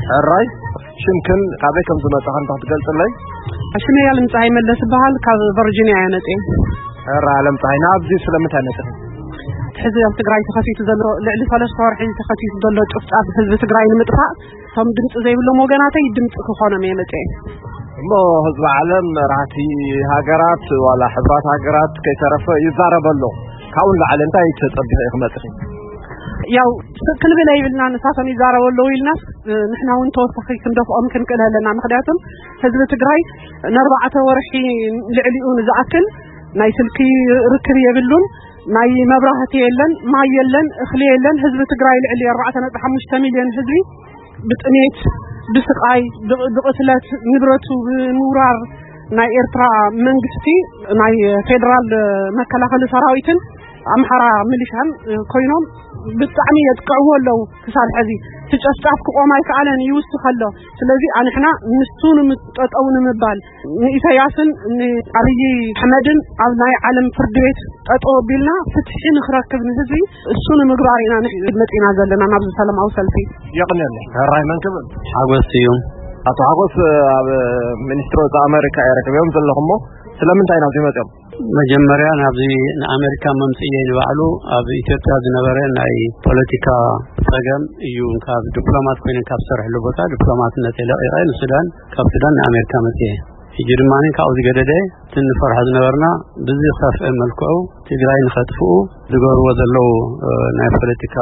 ሕራይ፣ ሽምክን ካበይ ከም ዝመጻ ከም ትገልጽለይ? ሽመይ ኣለም ፀሃይ መለስ ይበሃል። ካብ ቨርጂኒያ እየ መፅየ። ሕራይ ኣለም ፀሃይ፣ ናብዚ ስለምንታይ መፅኺ? ሕዚ ኣብ ትግራይ ተኸሲቱ ዘሎ፣ ልዕሊ ሰለስተ ወርሒ ተኸሲቱ ዘሎ ጭፍጫፍ ህዝቢ ትግራይ ንምጥፋእ፣ እቶም ድምፂ ዘይብሎም ወገናተይ ድምፂ ክኾኖም እየ መፅየ። እሞ ህዝቢ ዓለም፣ መራሕቲ ሃገራት፣ ዋላ ሕብራት ሃገራት ከይተረፈ ይዛረብ ኣሎ። ካብኡ ንላዕሊ እንታይ ተጸቢኺ ኢኺ መጺኺ? ያው ስቕ ክንብል ኣይብልና፣ ንሳቶም ይዛረቡ ኣለዉ ኢልናስ፣ ንሕና እውን ተወሳኺ ክንደፍኦም ክንክእል ኣለና። ምኽንያቱም ህዝቢ ትግራይ ንኣርባዕተ ወርሒ ልዕሊኡ ንዝኣክል ናይ ስልኪ ርክብ የብሉን፣ ናይ መብራህቲ የለን፣ ማይ የለን፣ እኽሊ የለን። ህዝቢ ትግራይ ልዕሊ ኣርባዕተ ነጥቢ ሓሙሽተ ሚልዮን ህዝቢ ብጥሜት፣ ብስቓይ፣ ብ-፣ ብቕትለት፣ ንብረቱ ብምውራር ናይ ኤርትራ መንግስቲ፣ ናይ ፌደራል መከላኸሊ ሰራዊትን ኣምሓራ ሚሊሻን ኮይኖም ብጣዕሚ የጥቅዕዎ ኣለዉ። ክሳብ ሕዚ እቲ ጨፍጫፍ ክቆም ኣይከኣለን፣ ይውስኽ ኣሎ። ስለዚ ኣንሕና ንሱ ንምጠጠው ንምባል ንኢሳያስን ንኣብይ ኣሕመድን ኣብ ናይ ዓለም ፍርዲ ቤት ጠጠው ኣቢልና ፍትሒ ንክረክብ ንህዝቢ እሱ ንምግባር ኢና ንሕ-፣ መጺና ዘለና ናብዚ ሰላማዊ ሰልፊ። የቕንየለይ። ሕራይ መን ክብል? ሓጎስ ስዩም። ኣቶ ሓጎስ፣ ኣብ ሚኒስትሪ ወጻኢ ኣሜሪካ እየ ረኪበዮም ዘለኹሞ፣ ስለምንታይ ናብዚ መጺኦም? መጀመርያ ናብዚ ንኣሜሪካ መምጽእየይ ንባዕሉ ኣብ ኢትዮጵያ ዝነበረ ናይ ፖለቲካ ጸገም እዩ። ካብ ዲፕሎማት ኮይነ ካብ ዝሰርሕሉ ቦታ ዲፕሎማትነተይ ለቒቐ ንሱዳን፣ ካብ ሱዳን ንኣሜሪካ መጽየ። ሕጂ ድማ ካብኡ ዝገደደ እቲ ንፈርሖ ዝነበርና ብዝኸፍአ መልክዑ ትግራይ ንኸጥፍኡ ዝገብርዎ ዘለዉ፣ እ፣ ናይ ፖለቲካ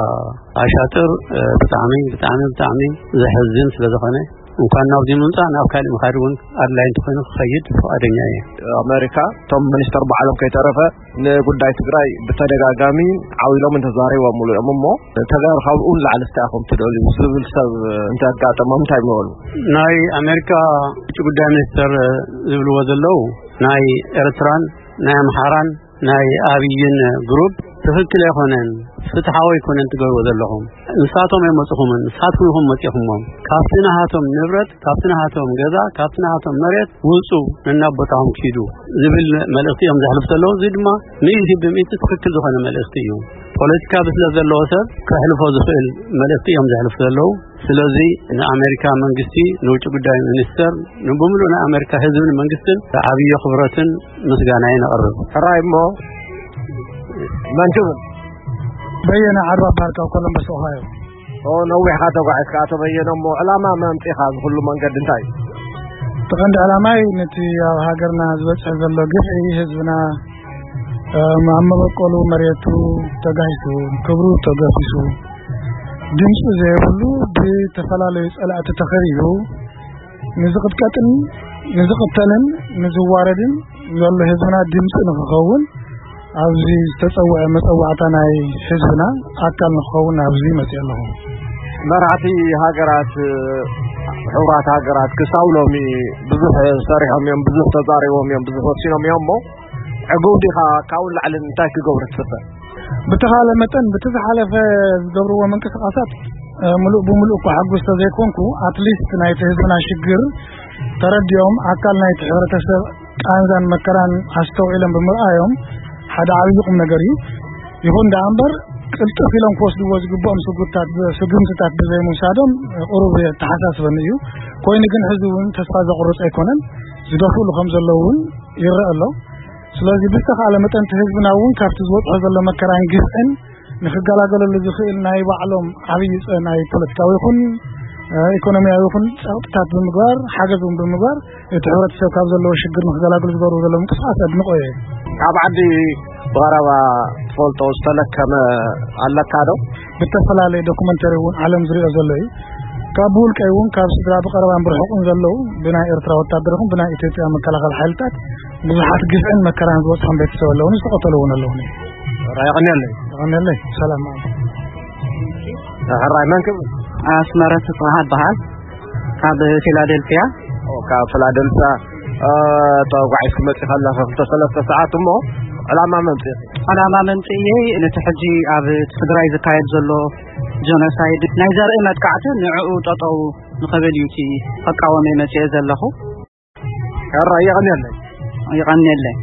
ኣሻጥር፣ እ፣ ብጣዕሚ፣ ብጣዕሚ፣ ብጣዕሚ ዘሕዝን ስለ ዝኾነ፣ እንኳን ናብዚ ምምጻእ ናብ ካሊእ ምኻድ እውን ኣድላይ እንተኾይኑ ክኸይድ ፍቓደኛ እየ። ኣሜሪካ እቶም ሚኒስተር ባዕሎም ከይተረፈ ንጉዳይ ትግራይ ብተደጋጋሚ ዓው ኢሎም እንተዛሪቦምሉ እዮም እሞ፣ ተጋሩ ካብኡ ንላዕሊ እንታይ ኢኹም ትደልዩ ዝብል ሰብ እንተጋጠሞም እንታይ ምበሉ? ናይ ኣሜሪካ ውጭ ጉዳይ ሚኒስተር ዝብልዎ ዘለዉ ናይ ኤርትራን ናይ ኣምሓራን ናይ ኣብይን ግሩፕ ትኽክል ኣይኮነን፣ ፍትሓዊ ኣይኮነን ትገብርዎ ዘለኹም። ንሳቶም ኣይመጽኹምን፣ ንሳትኩም ኢኹም መጺኹሞም። ካብቲ ናሃቶም ንብረት፣ ካብቲ ናሃቶም ገዛ፣ ካብቲ ናሃቶም መሬት ውጹ፣ ነናብ ቦታኹም ኪዱ ዝብል መልእኽቲ እዮም ዘሕልፉ ዘለዉ። እዚ ድማ ሚእቲ ብሚእቲ ትኽክል ዝኾነ መልእኽቲ እዩ። ፖለቲካ ብስለት ዘለዎ ሰብ ከሕልፎ ዝኽእል መልእኽቲ እዮም ዘሕልፉ ዘለዉ። ስለዚ ንኣሜሪካ መንግስቲ፣ ንውጭ ጉዳይ ሚኒስተር፣ ንብምሉእ ናይ ኣሜሪካ ህዝብን መንግስትን ዓብዪ ኣኽብሮትን ምስጋናይን ኣቕርብ። ሕራይ እሞ መን ክብል? በየነ ዓርባ በሃል ካብ ኮሎምበስ ኦሃዮ። ኦ፣ ነዊሕካ ተጓዒዝካ ኣቶ በየነ፣ እሞ ዕላማ መምጺኻ እዚ ኩሉ መንገዲ እንታይ እዩ? እቲ ቀንዲ ዕላማይ ነቲ ኣብ ሃገርና ዝበጽሕ ዘሎ ግፍዒ ህዝብና፣ እም፣ ኣብ መበቆሉ መሬቱ ተጋሂሱ፣ ክብሩ ተገፊሱ፣ ድምፂ ዘይብሉ ብተፈላለዩ ጸላእቲ ተኸቢቡ ንዝቕጥቀጥን ንዝቕተልን ንዝዋረድን ዘሎ ህዝብና ድምፂ ንክኸውን ኣብዚ ዝተፀውዐ መፀዋዕታ ናይ ህዝብና ኣካል ንክኸውን ኣብዚ መፅእ ኣለኹ። መራሕቲ ሃገራት፣ ሕቡራት ሃገራት ክሳብ ሎሚ ብዙሕ ሰሪሖም እዮም፣ ብዙሕ ተዛሪቦም እዮም፣ ብዙሕ ወሲኖም እዮም። እሞ ዕጉብ ዲኻ? ካብኡ ንላዕሊ እንታይ ክገብሩ ትፅበ? ብተኻለ መጠን፣ ብቲ ዝሓለፈ ዝገብርዎ ምንቅስቃሳት፣ እ፣ ምሉእ ብምሉእ እኳ ሕጉስ ተዘይኮንኩ፣ ኣትሊስት ናይቲ ህዝብና ሽግር ተረዲኦም፣ ኣካል ናይቲ ሕብረተሰብ ቃንዛን መከራን ኣስተውዒሎም ብምርኣዮም ሓደ ዓብዪ ቁም ነገር እዩ። ይኹን ደኣ እምበር፣ ቅልጥፍ ኢሎም ክወስድዎ ዝግብኦም ስጉምትታት፣ ስጉምትታት ብዘይምውሳዶም ቁሩብ የተሓሳስበኒ እዩ። ኮይኑ ግን፣ ሕዚ እውን ተስፋ ዘቑርፅ ኣይኮነን። ዝደፍእሉ ከም ዘለዉ እውን ይረአ ኣሎ። ስለዚ ብዝተኻእለ መጠን እቲ ህዝብና እውን ካብቲ ዝበፅሖ ዘሎ መከራን ግፍዕን ንክገላገለሉ ዝኽእል ናይ ባዕሎም ዓብዪ ፀ-፣ ናይ ፖለቲካዊ ይኹን፣ እ፣ ኢኮኖሚያዊ ይኹን ፀቕጥታት ብምግባር፣ ሓገዝ እውን ብምግባር እቲ ሕብረተሰብ ካብ ዘለዎ ሽግር ንክገላገሉ ዝገብሩ ዘለዉ ምንቅስቃስ ኣድንቆ እየ። ካብ ዓዲ ብቐረባ ትፈልጦ ዝተለከመ ኣለካ ዶ? ብተፈላለየ ዶኩመንተሪ እውን ዓለም ዝሪኦ ዘሎ እዩ። ካብ ብውልቀይ እውን ካብ ስድራ ብቐረባን ብርሑቕን ዘለዉ ብናይ ኤርትራ ወታደር ይኹን ብናይ ኢትዮጵያ መከላኸሊ ሓይልታት ብዙሓት ግፍዕን መከራን ዝበፅሖም ቤተሰብ ኣለዉኒ፣ ዝተቐተሉ እውን ኣለዉኒ። ራይ የቐንየለይ። የቐንየለይ። ሰላም። ሕራይ መን ክብል? ኣስመረት ጽባህ እበሃል። ካብ ፊላደልፊያ። ኦ፣ ካብ ፊላደልፊያ፣ እ፣ ተጓዒዝኪ መጺኻ ኣለኻ ክልተ ሰለስተ ሰዓት እሞ፣ ዕላማ መምጽኢ? ዕላማ መምጽእየይ ነቲ ሕጂ ኣብ ትግራይ ዝካየድ ዘሎ ጀኖሳይድ ናይ ዘርኢ መጥቃዕቲ ንዕኡ ጠጠው ንኽብል እዩ እቲ ክቃወም እየ መጺኤ ዘለኹ። ሕራይ የቐንየለይ። የቐንየለይ።